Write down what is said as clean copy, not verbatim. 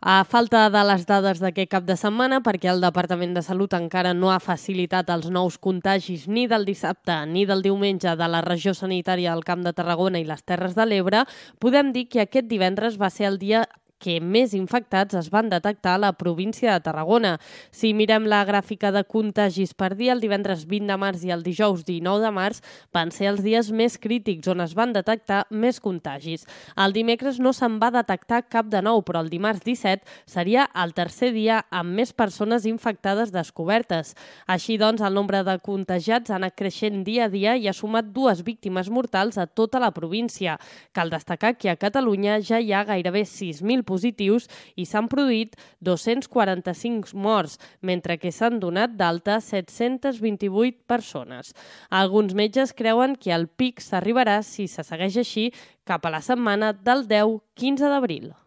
A falta de les dades d'aquest cap de setmana, perquè el Departament de Salut encara no ha facilitat els nous contagis ni del dissabte ni del diumenge de la regió sanitària del Camp de Tarragona i les Terres de l'Ebre, podem dir que aquest divendres va ser el dia que més infectats es van detectar a la província de Tarragona. Si mirem la gràfica de contagis per dia, el divendres 20 de març i el dijous 19 de març van ser els dies més crítics on es van detectar més contagis. El dimecres no se'n va detectar cap de nou, però el dimarts 17 seria el tercer dia amb més persones infectades descobertes. Així doncs, el nombre de contagiats ha anat creixent dia a dia i ha sumat 2 víctimes mortals a tota la província. Cal destacar que a Catalunya ja hi ha gairebé 6.000 positius i s'han produït 245 morts, mentre que s'han donat d'alta 728 persones. Alguns metges creuen que el pic s'arribarà, si se segueix així, cap a la setmana del 10-15 d'abril.